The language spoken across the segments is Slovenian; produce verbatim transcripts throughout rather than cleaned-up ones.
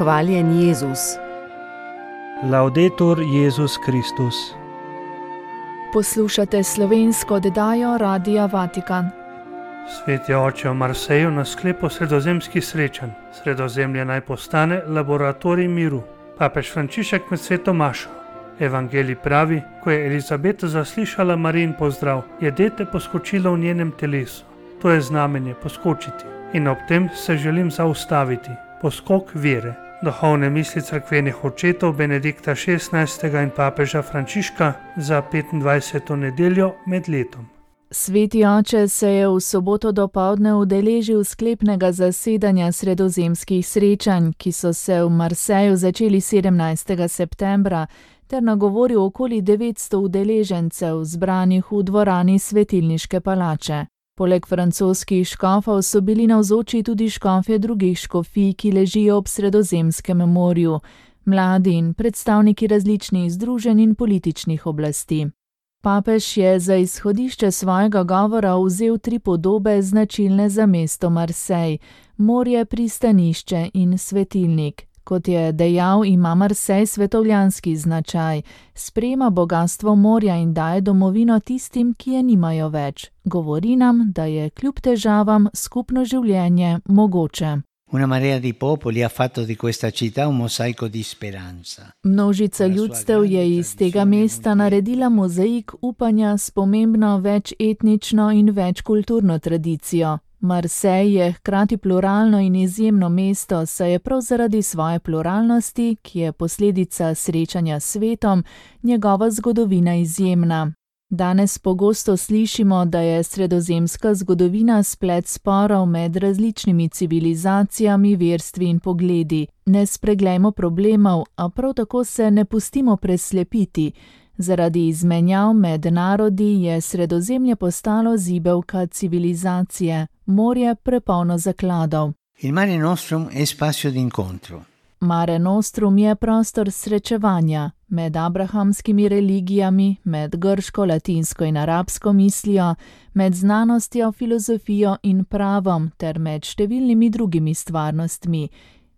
Hvaljen Jezus. Laudetur Jezus Kristus. Poslušate slovensko oddajo Radia Vatikan. Sveti oče, v Marseju na sklepu sredozemskih srečanj Sredozemlje naj postane laboratorij miru. Papež Frančišek med sveto mašo. Evangelij pravi, ko je Elizabeta zaslišala Marijin pozdrav, je dete poskočilo v njenem telesu. To je znamenje poskočiti. In ob tem se želim zaustaviti. Poskok vere. Duhovne misli cerkvenih očetov Benedikta šestnajstega in papeža Frančiška za petindvajseto nedeljo med letom. Sveti oče se je v soboto dopoldne udeležil sklepnega zasedanja sredozemskih srečanj, ki so se v Marseju začeli sedemnajstega septembra, ter nagovoril okoli devetsto udeležencev, zbranih v dvorani Svetilniške palače. Poleg francoskih škofov so bili navzoči tudi škofje drugih škofij, ki ležijo ob Sredozemskem morju, mladi in predstavniki različnih združenj in političnih oblasti. Papež je za izhodišče svojega govora vzel tri podobe značilne za mesto Marsej: morje, pristanišče in svetilnik. Kot je dejal, ima Marsej svetovljanski značaj, sprejema bogastvo morja in daje domovino tistim, ki je nimajo več. Govori nam, da je kljub težavam skupno življenje mogoče. Una marea di popoli ha fatto di questa città un mosaico di speranza. Množica ljudstev je iz tega mesta naredila mozaik upanja s pomembno večetnično in večkulturno tradicijo. Marsej je hkrati pluralno in izjemno mesto, saj je prav zaradi svoje pluralnosti, ki je posledica srečanja s svetom, njegova zgodovina izjemna. Danes pogosto slišimo, da je sredozemska zgodovina splet sporov med različnimi civilizacijami, verstvi in pogledi. Ne spreglejmo problemov, a prav tako se ne pustimo preslepiti. Zaradi izmenjav med narodi je Sredozemlje postalo zibelka civilizacije, morje prepolno zakladov. Il Mare Nostrum è spazio d'incontro. Mare Nostrum je prostor srečevanja med abrahamskimi religijami, med grško, latinsko in arabsko mislijo, med znanostjo, filozofijo in pravom ter med številnimi drugimi stvarnostmi.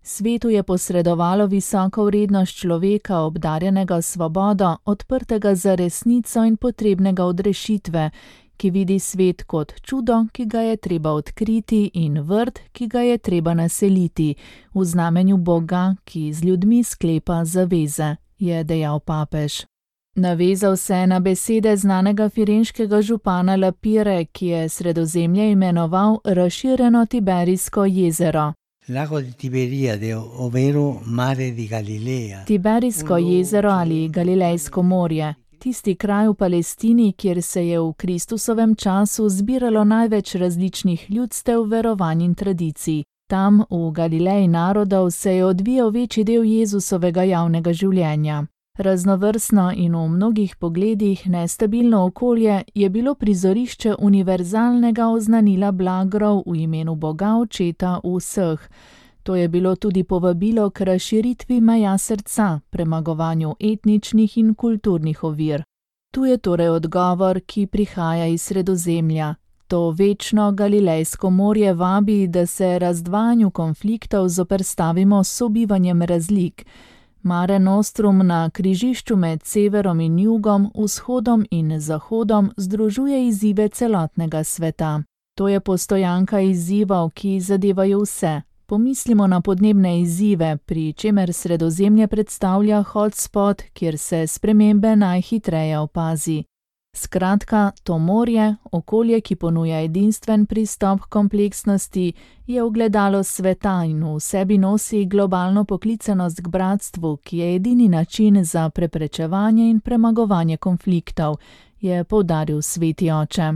Svetu je posredovalo visoko vrednost človeka, obdarjenega svobodo, odprtega za resnico in potrebnega od rešitve, ki vidi svet kot čudo, ki ga je treba odkriti, in vrt, ki ga je treba naseliti, v znamenju Boga, ki z ljudmi sklepa zaveze, je dejal papež. Navezal se je na besede znanega firenškega župana Lapire, ki je Sredozemlje imenoval razširjeno Tiberijsko jezero. Lago di Tiberiade, ovvero Mare di Galilea. Tiberijsko jezero ali Galilejsko morje. Tisti kraj v Palestini, kjer se je v Kristusovem času zbiralo največ različnih ljudstev, verovanj in tradicij. Tam, v Galileji narodov, se je odvijal večji del Jezusovega javnega življenja. Raznovrstno in v mnogih pogledih nestabilno okolje je bilo prizorišče univerzalnega oznanila blagrov v imenu Boga Očeta vseh. To je bilo tudi povabilo k razširitvi meja srca, premagovanju etničnih in kulturnih ovir. Tu je torej odgovor, ki prihaja iz Sredozemlja. To večno Galilejsko morje vabi, da se razdvajanju konfliktov zoperstavimo s sobivanjem razlik. Mare Nostrum na križišču med severom in jugom, vzhodom in zahodom združuje izzive celotnega sveta. To je postojanka izzivov, ki zadevajo vse. Pomislimo na podnebne izzive, pri čemer Sredozemlje predstavlja hotspot, kjer se spremembe najhitreje opazi. Skratka, to morje, okolje, ki ponuja edinstven pristop k kompleksnosti, je ogledalo sveta in v sebi nosi globalno poklicanost k bratstvu, ki je edini način za preprečevanje in premagovanje konfliktov, je poudaril sveti oče.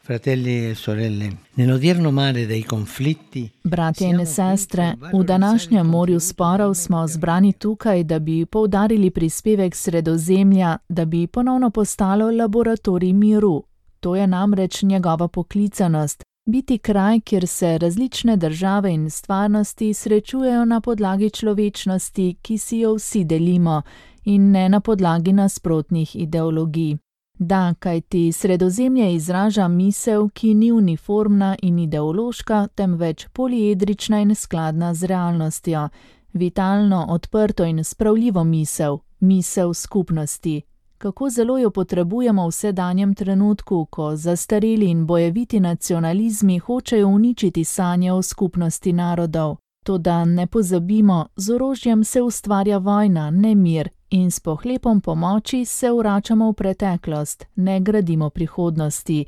Fratelli e sorelle, nell'odierno mare dei conflitti. Bratje in sestre, v današnjem morju sporov smo zbrani tukaj, da bi poudarili prispevek Sredozemlja, da bi ponovno postalo laboratorij miru. To je namreč njegova poklicanost. Biti kraj, kjer se različne države in stvarnosti srečujejo na podlagi človečnosti, ki si jo vsi delimo, in ne na podlagi nasprotnih ideologij. Da, kajti Sredozemlje izraža misel, ki ni uniformna in ideološka, temveč poliedrična in skladna z realnostjo. Vitalno, odprto in spravljivo misel, misel skupnosti. Kako zelo jo potrebujemo v sedanjem trenutku, ko zastareli in bojeviti nacionalizmi hočejo uničiti sanje o skupnosti narodov. Toda ne pozabimo, z orožjem se ustvarja vojna, ne mir, in s pohlepom pomoči se vračamo v preteklost, ne gradimo prihodnosti.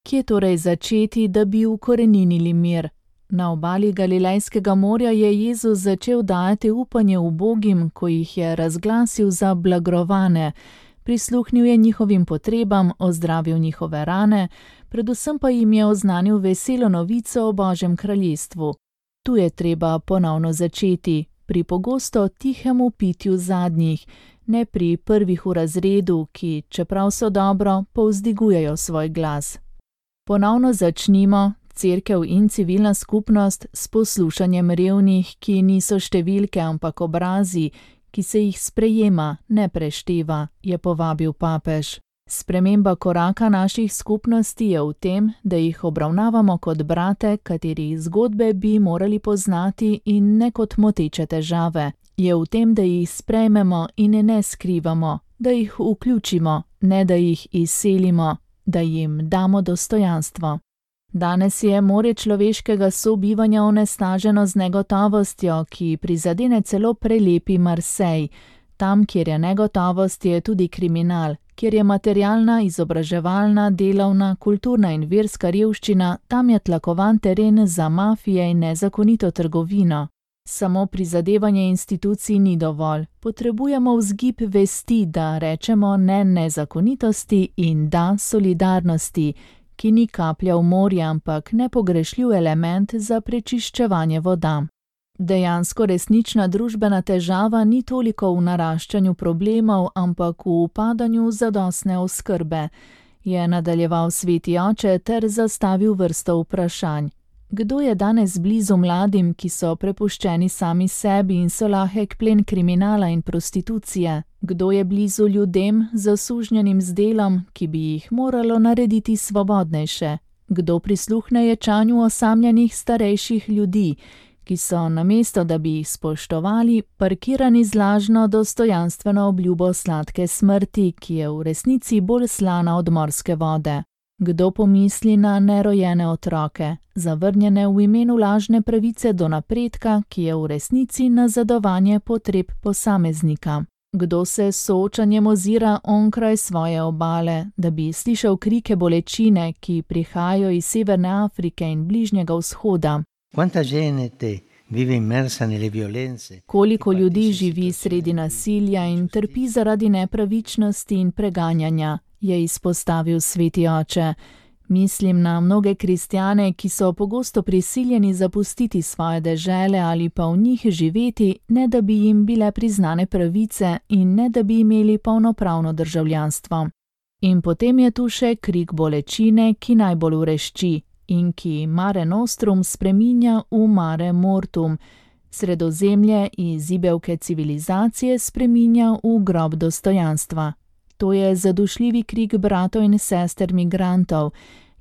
Kje torej začeti, da bi ukoreninili mir? Na obali Galilejskega morja je Jezus začel dajati upanje ubogim, ko jih je razglasil za blagrovane. Prisluhnil je njihovim potrebam, ozdravil njihove rane, predvsem pa jim je oznanil veselo novico o Božjem kraljestvu. Tu je treba ponovno začeti, pri pogosto tihemu pitju zadnjih, ne pri prvih v razredu, ki, čeprav so dobro, povzdigujejo svoj glas. Ponovno začnimo, cerkev in civilna skupnost, s poslušanjem revnih, ki niso številke, ampak obrazi, ki se jih sprejema, ne prešteva, je povabil papež. Sprememba koraka naših skupnosti je v tem, da jih obravnavamo kot brate, katerih zgodbe bi morali poznati in ne kot moteče težave. Je v tem, da jih sprejmemo in ne skrivamo, da jih vključimo, ne da jih izselimo, da jim damo dostojanstvo. Danes je morje človeškega sobivanja onesnaženo z negotovostjo, ki prizadene celo prelepi Marsej. Tam, kjer je negotovost, je tudi kriminal. Kjer je materialna, izobraževalna, delovna, kulturna in verska revščina, tam je tlakovan teren za mafije in nezakonito trgovino. Samo prizadevanje institucij ni dovolj. Potrebujemo vzgib vesti, da rečemo ne nezakonitosti in da solidarnosti, ki ni kaplja v morje, ampak nepogrešljiv element za prečiščevanje voda. Dejansko resnična družbena težava ni toliko v naraščanju problemov, ampak v upadanju zadostne oskrbe, je nadaljeval sveti oče ter zastavil vrsto vprašanj. Kdo je danes blizu mladim, ki so prepuščeni sami sebi in so lahek plen kriminala in prostitucije? Kdo je blizu ljudem, zasužnjenim z delom, ki bi jih moralo narediti svobodnejše? Kdo prisluhne ječanju osamljenih starejših ljudi, ki so, namesto da bi jih spoštovali, parkirani z lažno dostojanstveno obljubo sladke smrti, ki je v resnici bolj slana od morske vode? Kdo pomisli na nerojene otroke, zavrnjene v imenu lažne pravice do napredka, ki je v resnici nazadovanje potreb posameznika? Kdo se s soočanjem ozira onkraj svoje obale, da bi slišal krike bolečine, ki prihajajo iz Severne Afrike in Bližnjega vzhoda? Koliko ljudi živi sredi nasilja in trpi zaradi nepravičnosti in preganjanja, je izpostavil sveti oče. Mislim na mnoge kristjane, ki so pogosto prisiljeni zapustiti svoje dežele ali pa v njih živeti, ne da bi jim bile priznane pravice in ne da bi imeli polnopravno državljanstvo. In potem je tu še krik bolečine, ki najbolj vrešči in ki Mare Nostrum spreminja v Mare Mortum, Sredozemlje iz zibelke civilizacije spreminja v grob dostojanstva. To je zadušljivi krik bratov in sester migrantov,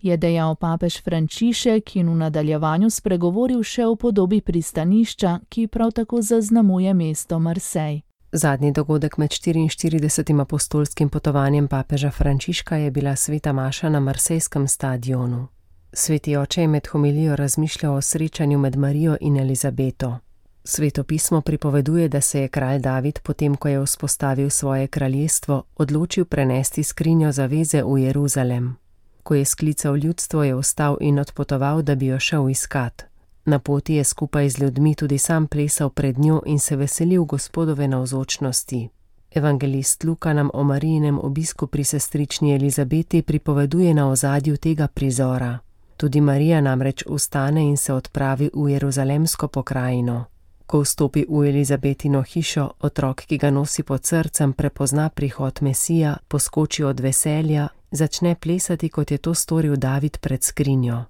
je dejal papež Frančišek in v nadaljevanju spregovoril še o podobi pristanišča, ki prav tako zaznamuje mesto Marsej. Zadnji dogodek med štiriinštiridesetim apostolskim potovanjem papeža Frančiška je bila sveta maša na marsejskem stadionu. Sveti oče je med homilijo razmišljal o srečanju med Marijo in Elizabeto. Sveto pismo pripoveduje, da se je kralj David, potem ko je vzpostavil svoje kraljestvo, odločil prenesti skrinjo zaveze v Jeruzalem. Ko je sklical ljudstvo, je vstal in odpotoval, da bi jo šel iskat. Na poti je skupaj z ljudmi tudi sam plesal pred njo in se veselil Gospodove navzočnosti. Evangelist Luka nam o Marijinem obisku pri sestrični Elizabeti pripoveduje na ozadju tega prizora. Tudi Marija namreč vstane in se odpravi v jeruzalemsko pokrajino. Ko vstopi v Elizabetino hišo, otrok, ki ga nosi pod srcem, prepozna prihod Mesija, poskoči od veselja, začne plesati, kot je to storil David pred skrinjo.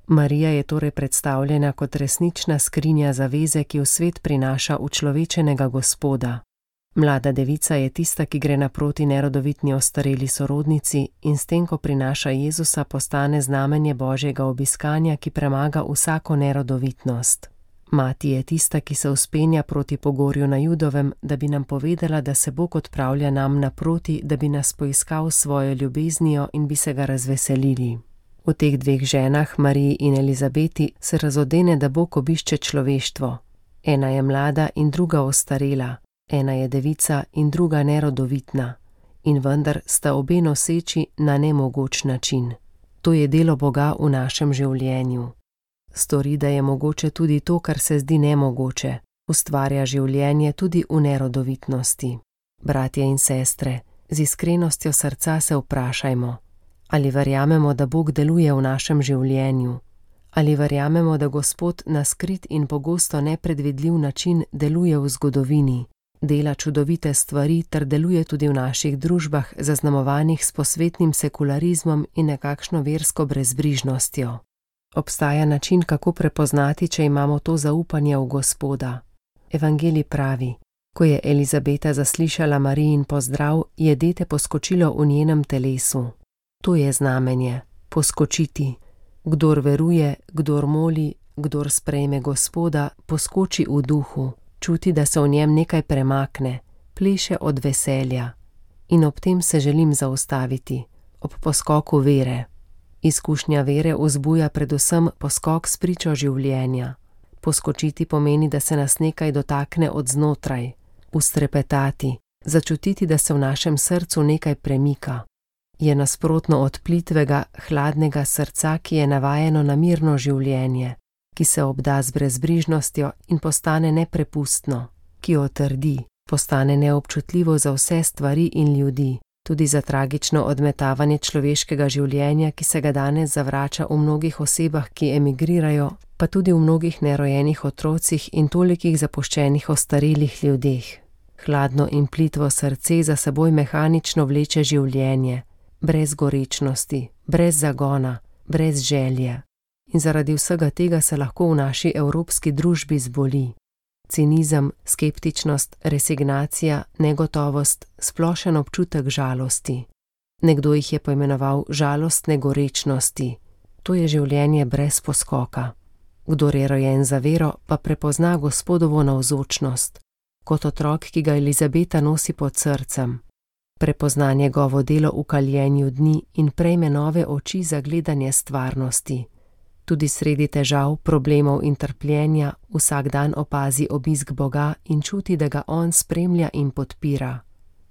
Marija je torej predstavljena kot resnična skrinja zaveze, ki v svet prinaša učlovečenega Gospoda. Mlada devica je tista, ki gre naproti nerodovitni ostareli sorodnici in s tem, ko prinaša Jezusa, postane znamenje Božjega obiskanja, ki premaga vsako nerodovitnost. Mati je tista, ki se vzpenja proti pogorju na Judovem, da bi nam povedala, da se Bog odpravlja nam naproti, da bi nas poiskal s svojo ljubeznijo in bi se ga razveselili. V teh dveh ženah, Mariji in Elizabeti, se razodene, da Bog obišče človeštvo. Ena je mlada in druga ostarela, ena je devica in druga nerodovitna. In vendar sta obe noseči na nemogoč način. To je delo Boga v našem življenju. Stori, da je mogoče tudi to, kar se zdi nemogoče. Ustvarja življenje tudi v nerodovitnosti. Bratje in sestre, z iskrenostjo srca se vprašajmo, ali verjamemo, da Bog deluje v našem življenju, ali verjamemo, da Gospod na skrit in pogosto nepredvidljiv način deluje v zgodovini, dela čudovite stvari ter deluje tudi v naših družbah, zaznamovanih s posvetnim sekularizmom in nekakšno versko brezbrižnostjo. Obstaja način, kako prepoznati, če imamo to zaupanje v Gospoda. Evangelij pravi: ko je Elizabeta zaslišala Marijin pozdrav, je dete poskočilo v njenem telesu. To je znamenje, poskočiti. Kdor veruje, kdor moli, kdor sprejme Gospoda, poskoči v duhu, čuti, da se v njem nekaj premakne, pleše od veselja. In ob tem se želim zaustaviti, ob poskoku vere. Izkušnja vere vzbuja predvsem poskok s pričo življenja. Poskočiti pomeni, da se nas nekaj dotakne od znotraj, ustrepetati, začutiti, da se v našem srcu nekaj premika. Je nasprotno od plitvega, hladnega srca, ki je navajeno na mirno življenje, ki se obda z brezbrižnostjo in postane neprepustno, ki otrdi, postane neobčutljivo za vse stvari in ljudi, tudi za tragično odmetavanje človeškega življenja, ki se ga danes zavrača v mnogih osebah, ki emigrirajo, pa tudi v mnogih nerojenih otrocih in tolikih zapuščenih ostarelih ljudeh. Hladno in plitvo srce za seboj mehanično vleče življenje, brez gorečnosti, brez zagona, brez želje. In zaradi vsega tega se lahko v naši evropski družbi zboli. Cinizem, skeptičnost, resignacija, negotovost, splošen občutek žalosti. Nekdo jih je poimenoval žalostne gorečnosti. To je življenje brez poskoka. Kdor je rojen za vero, pa prepozna Gospodovo navzočnost, kot otrok, ki ga Elizabeta nosi pod srcem. Prepozna njegovo delo v kaljenju dni in prejme nove oči za gledanje stvarnosti. Tudi sredi težav, problemov in trpljenja vsak dan opazi obisk Boga in čuti, da ga On spremlja in podpira.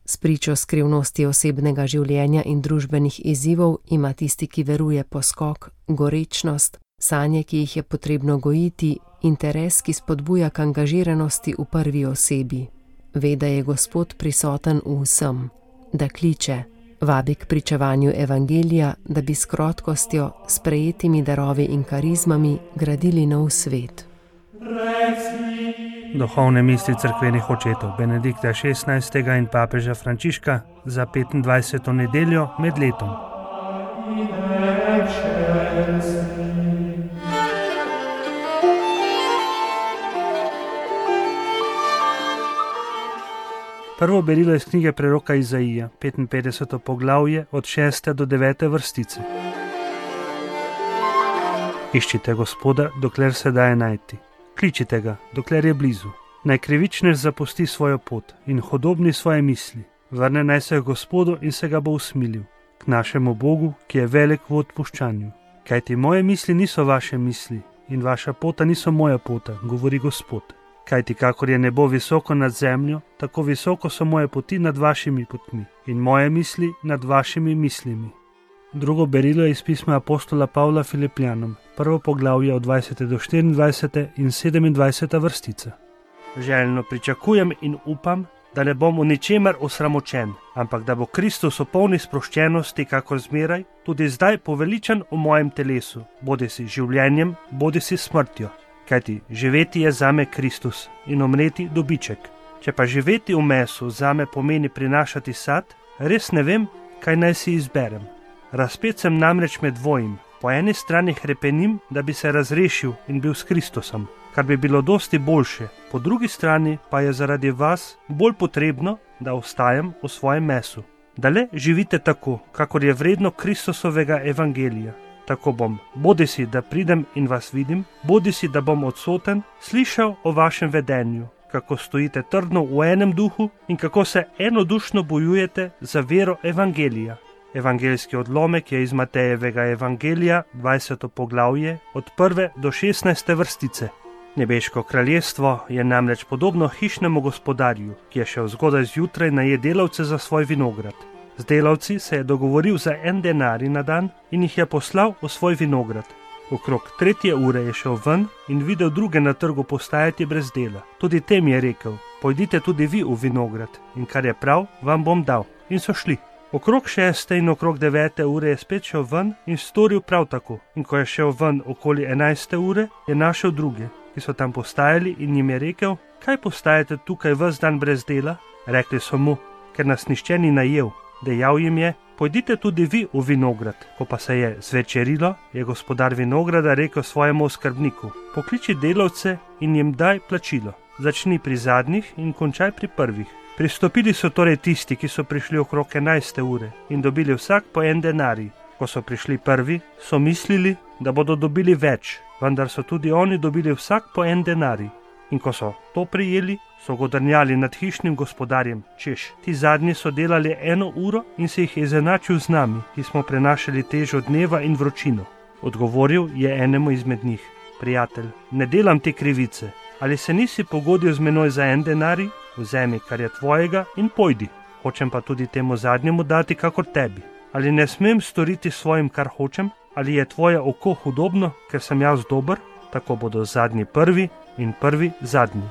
S pričo skrivnosti osebnega življenja in družbenih izzivov ima tisti, ki veruje, poskok, gorečnost, sanje, ki jih je potrebno gojiti, interes, ki spodbuja k angažiranosti v prvi osebi. Ve, da je Gospod prisoten v vsem, da kliče, vabi k pričevanju evangelija, da bi s krotkostjo, sprejetimi darovi in karizmami gradili nov svet. Duhovne misli cerkvenih očetov Benedikta šestnajstega in papeža Frančiška za petindvajseto nedeljo med letom. Prvo berilo iz knjige preroka Izaija, petinpetdeseto poglavje od šeste do devete vrstice. Iščite Gospoda, dokler se daje najti. Kličite ga, dokler je blizu. Naj krivičnež zapusti svojo pot in hodobni svoje misli. Vrne naj se Gospodu in se ga bo usmilil. K našemu Bogu, ki je velik v odpuščanju. Kajti moje misli niso vaše misli in vaša pota niso moja pota, govori Gospod. Kajti kakor je nebo visoko nad zemljo, tako visoko so moje poti nad vašimi potmi in moje misli nad vašimi mislimi. Drugo berilo je iz pisma apostola Pavla Filipljanom, prvo poglavje od dvajsete do štiriindvajsete in sedemindvajseta vrstica. Željno pričakujem in upam, da ne bom v ničemer osramočen, ampak da bo Kristus v polni sproščenosti, kakor zmeraj, tudi zdaj poveličan v mojem telesu, bodisi življenjem, bodisi smrtjo. Kajti živeti je zame Kristus in umreti dobiček. Če pa živeti v mesu zame pomeni prinašati sad, res ne vem, kaj naj si izberem. Razpet sem namreč med dvojim. Po eni strani hrepenim, da bi se razrešil in bil s Kristusom, kar bi bilo dosti boljše, po drugi strani pa je zaradi vas bolj potrebno, da ostajam v svojem mesu. Da le živite tako, kakor je vredno Kristusovega evangelija. Tako bom, bodisi da pridem in vas vidim, bodisi da bom odsoten, slišal o vašem vedenju, kako stojite trdno v enem duhu in kako se enodušno bojujete za vero evangelija. Evangeljski odlomek je iz Matejevega evangelija, dvajseto poglavje, od prve do šestnajste vrstice. Nebeško kraljestvo je namreč podobno hišnemu gospodarju, ki je šel zgodaj zjutraj najet delavce za svoj vinograd. Z delavci se je dogovoril za en denarij na dan in jih je poslal v svoj vinograd. Okrog tretje ure je šel ven in videl druge na trgu postajati brez dela. Tudi tem je rekel, pojdite tudi vi v vinograd in kar je prav, vam bom dal. In so šli. Okrog šeste in okrog devete ure je spet šel ven in storil prav tako. In ko je šel ven okoli enajste ure, je našel druge, ki so tam postajali in jim je rekel, kaj postajate tukaj ves dan brez dela? Rekli so mu, ker nas nišče ni najel. Dejal jim je, pojdite tudi vi v vinograd. Ko pa se je zvečerilo, je gospodar vinograda rekel svojemu oskrbniku, pokliči delavce in jim daj plačilo. Začni pri zadnjih in končaj pri prvih. Pristopili so torej tisti, ki so prišli okrog enajste ure in dobili vsak po en denarij. Ko so prišli prvi, so mislili, da bodo dobili več, vendar so tudi oni dobili vsak po en denarij. In ko so to prijeli, so godrnjali nad hišnim gospodarjem, češ, ti zadnji so delali eno uro in se jih je izenačil z nami, ki smo prenašali težo dneva in vročino. Odgovoril je enemu izmed njih, prijatelj, ne delam ti krivice, ali se nisi pogodil z menoj za en denarij? Vzemi, kar je tvojega in pojdi. Hočem pa tudi temu zadnjemu dati, kakor tebi. Ali ne smem storiti svojim, kar hočem? Ali je tvoje oko hudobno, ker sem jaz dober? Tako bodo zadnji prvi in prvi zadnji.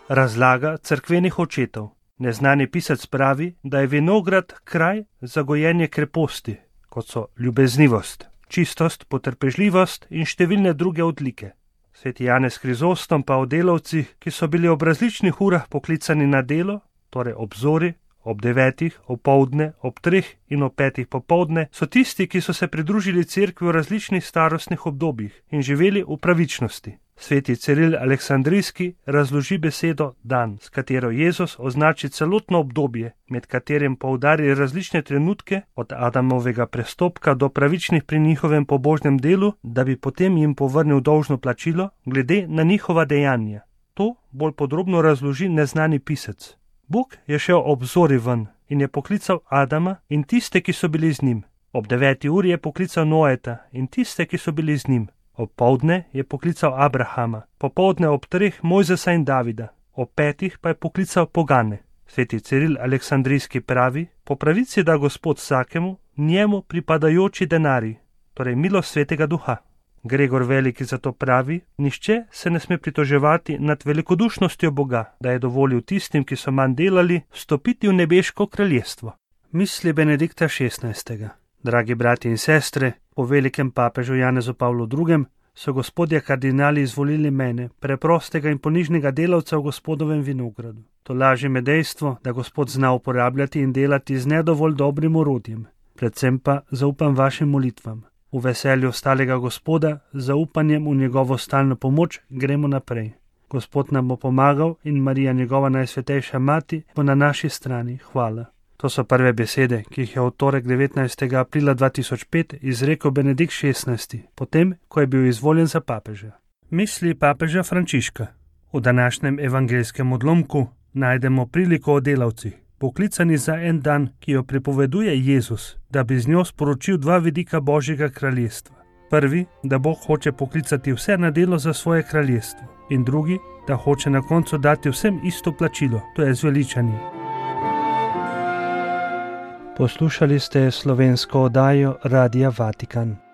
Razlaga cerkvenih očetov. Neznani pisec pravi, da je vinograd kraj za gojenje kreposti, kot so ljubeznivost, čistost, potrpežljivost in številne druge odlike. Sveti Janez Krizostom pa o delavcih, ki so bili ob različnih urah poklicani na delo, torej ob zori, ob devetih, opoldne, ob treh in ob petih popoldne, so tisti, ki so se pridružili cerkvi v različnih starostnih obdobjih in živeli v pravičnosti. Sveti Ciril Aleksandrijski razloži besedo dan, s katero Jezus označi celotno obdobje, med katerim poudari različne trenutke od Adamovega prestopka do pravičnih pri njihovem pobožnem delu, da bi potem jim povrnil dolžno plačilo glede na njihova dejanja. To bolj podrobno razloži neznani pisec. Bog je šel ob zori ven in je poklical Adama in tiste, ki so bili z njim. Ob deveti uri je poklical Noeta in tiste, ki so bili z njim. Ob poldne je poklical Abrahama, popoldne ob treh Mojzesa in Davida, ob petih pa je poklical pogane. Sveti Ciril Aleksandrijski pravi, po pravici da Gospod vsakemu, njemu pripadajoči denarij, torej milost Svetega Duha. Gregor Veliki zato pravi, nihče se ne sme pritoževati nad velikodušnostjo Boga, da je dovolil tistim, ki so manj delali, vstopiti v nebeško kraljestvo. Misli Benedikta šestnajstega. Dragi brati in sestre, po velikem papežu Janezu Pavlu drugem so gospodje kardinali izvolili mene, preprostega in ponižnega delavca v Gospodovem vinogradu. To laži me dejstvo, da Gospod zna uporabljati in delati z nedovolj dobrim orodjem. Predvsem pa zaupam vašim molitvam. V veselju ostalega Gospoda, zaupanjem v njegovo stalno pomoč, gremo naprej. Gospod nam bo pomagal in Marija, njegova najsvetejša mati, bo na naši strani. Hvala. To so prve besede, ki jih je v torek devetnajstega aprila dva tisoč pet izrekel Benedikt šestnajsti, potem, ko je bil izvoljen za papeža. Misli papeža Frančiška. V današnjem evangeljskem odlomku najdemo priliko o delavcih, poklicani za en dan, ki jo pripoveduje Jezus, da bi z njo sporočil dva vidika Božjega kraljestva. Prvi, da Bog hoče poklicati vse na delo za svoje kraljestvo, in drugi, da hoče na koncu dati vsem isto plačilo, to je zveličanje. Poslušali ste slovensko oddajo Radia Vatikan.